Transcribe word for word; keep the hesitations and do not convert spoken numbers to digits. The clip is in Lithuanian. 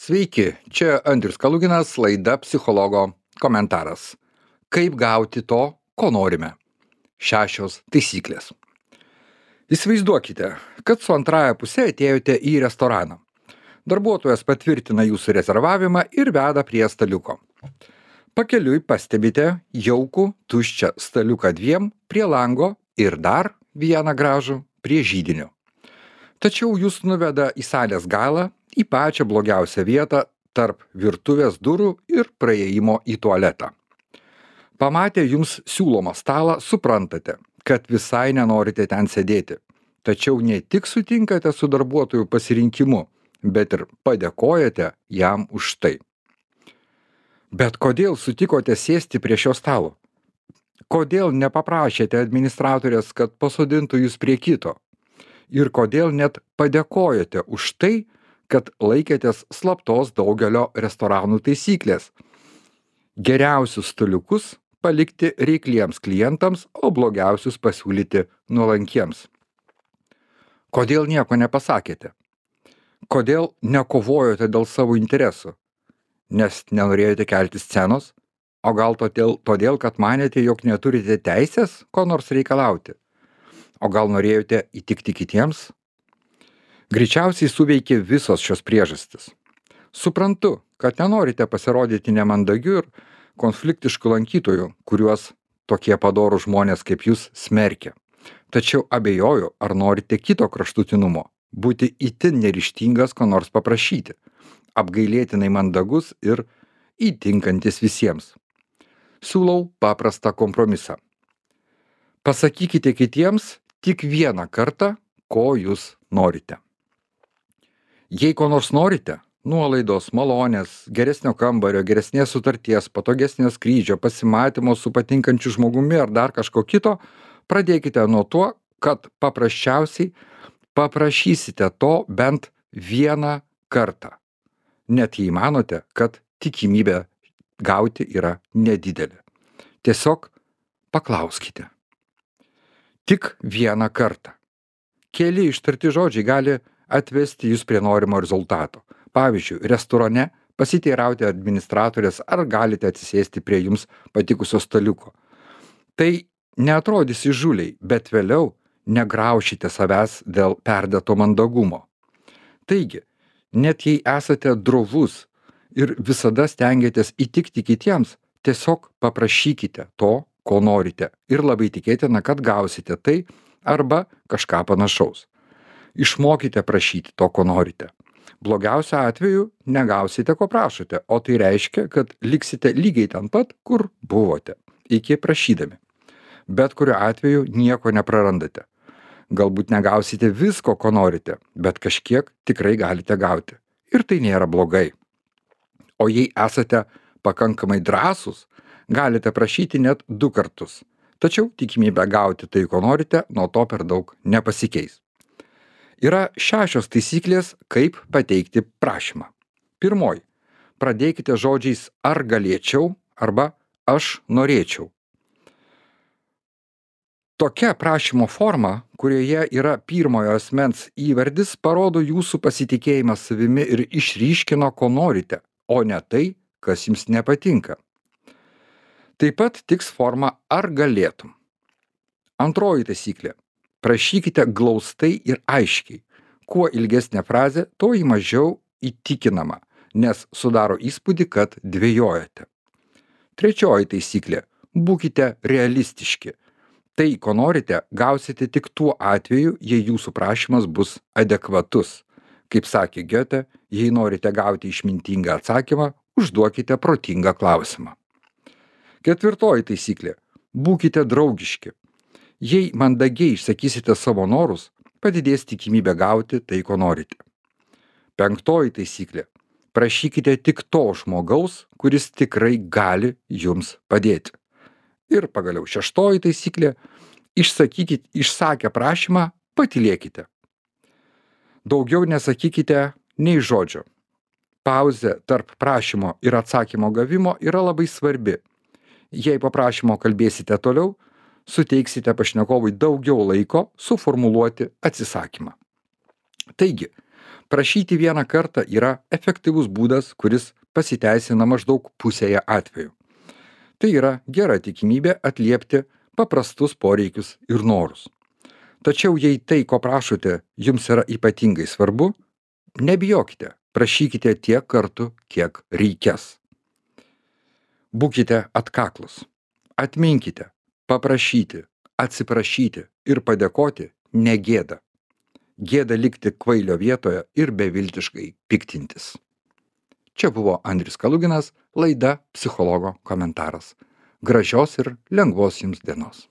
Sveiki, čia Andrius Kaluginas, laida Psichologo komentaras. Kaip gauti to, ko norime? Šešios taisyklės. Įsivaizduokite, kad su antraja pusė atėjote į restoraną. Darbuotojas patvirtina jūsų rezervavimą ir veda prie staliuko. Pakeliui pastebite jaukų, tuščią staliuką dviem prie lango ir dar vieną gražų prie židinio. Tačiau jūs nuveda į salės galą, į pačią blogiausią vietą tarp virtuvės durų ir praėjimo į tualetą. Pamatę jums siūlomą stalą, suprantate, kad visai nenorite ten sėdėti. Tačiau ne tik sutinkate su darbuotojų pasirinkimu, bet ir padėkojate jam už tai. Bet kodėl sutikote sėsti prie šio stalo? Kodėl nepaprašėte administratorės, kad pasodintų jūs prie kito? Ir kodėl net padėkojate už tai, kad laikėtės slaptos daugelio restoranų taisyklės? Geriausius staliukus palikti reikliems klientams, o blogiausius pasiūlyti nuolankiems. Kodėl nieko nepasakėte? Kodėl nekovojote dėl savo interesų? Nes nenorėjote kelti scenos? O gal todėl, todėl kad manėte, jog neturite teisės ko nors reikalauti? O gal norėjote įtikti kitiems? Greičiausiai suveikė visos šios priežastis. Suprantu, kad nenorite pasirodyti nemandagiu ir konfliktišku lankytoju, kuriuos tokie padorų žmonės kaip jūs smerkia. Tačiau abejoju, ar norite kito kraštutinumo, būti itin neryžtingas ko nors paprašyti, apgailėtinai mandagus ir įtinkantis visiems. Siūlau paprastą kompromisą. Pasakykite kitiems tik vieną kartą, ko jūs norite. Jei ko nors norite, nuolaidos, malonės, geresnio kambario, geresnės sutarties, patogesnio skrydžio, pasimatymo su patinkančiu žmogumi ar dar kažko kito, pradėkite nuo to, kad paprasčiausiai paprašysite to bent vieną kartą. Net jei manote, kad tikimybė gauti yra nedidelė. Tiesiog paklauskite. Tik vieną kartą. Keli ištarti žodžiai gali atvesti jūs prie norimo rezultato. Pavyzdžiui, restorane pasiteirauti administratorės, ar galite atsisėsti prie jums patikusio staliuko. Tai neatrodys įžūliai, bet vėliau negraušite savęs dėl perdėto mandagumo. Taigi, net jei esate drovus ir visada stengiatės įtikti kitiems, tiesiog paprašykite to, ko norite, ir labai tikėtina, kad gausite tai arba kažką panašaus. Išmokite prašyti to, ko norite. Blogiausiu atveju negausite, ko prašote, o tai reiškia, kad liksite lygiai ten pat, kur buvote, iki prašydami. Bet kuriuo atveju nieko neprarandate. Galbūt negausite visko, ko norite, bet kažkiek tikrai galite gauti. Ir tai nėra blogai. O jei esate pakankamai drąsūs, galite prašyti net du kartus. Tačiau tikimybė gauti tai, ko norite, nuo to per daug nepasikeis. Yra šešios taisyklės, kaip pateikti prašymą. Pirmoji. Pradėkite žodžiais ar galėčiau arba aš norėčiau. Tokia prašymo forma, kurioje yra pirmojo asmens įvardis, parodo jūsų pasitikėjimą savimi ir išryškino, ko norite, o ne tai, kas jums nepatinka. Taip pat tiks forma ar galėtum. Antroji taisyklė. Prašykite glaustai ir aiškiai. Kuo ilgesnė frazė, tuo į mažiau įtikinama, nes sudaro įspūdį, kad dvejojate. Trečioji taisyklė. Būkite realistiški. Tai, ko norite, gausite tik tuo atveju, jei jūsų prašymas bus adekvatus. Kaip sakė Goethe, jei norite gauti išmintingą atsakymą, užduokite protingą klausimą. Ketvirtoji taisyklė. Būkite draugiški. Jei mandagiai išsakysite savo norus, padidės tikimybė gauti tai, ko norite. Penktoji taisyklė. Prašykite tik to žmogaus, kuris tikrai gali jums padėti. Ir pagaliau šeštoji taisyklė. Išsakykite, išsakę prašymą, patylėkite. Daugiau nesakykite nei žodžio. Pauzė tarp prašymo ir atsakymo gavimo yra labai svarbi. Jei po prašymo kalbėsite toliau, suteiksite pašnekovui daugiau laiko suformuluoti atsisakymą. Taigi, Prašyti vieną kartą yra efektyvus būdas, kuris pasiteisina maždaug pusėje atvejų. Tai yra gera tikimybė atliepti paprastus poreikius ir norus. Tačiau jei tai, ko prašote, jums yra ypatingai svarbu, nebijokite, prašykite tiek kartų, kiek reikės. Būkite atkaklus. Atminkite, paprašyti, atsiprašyti ir padėkoti negėda. Gėda likti kvailio vietoje ir beviltiškai piktintis. Čia buvo Andrius Kaluginas, laida Psichologo komentaras. Gražios ir lengvos jums dienos.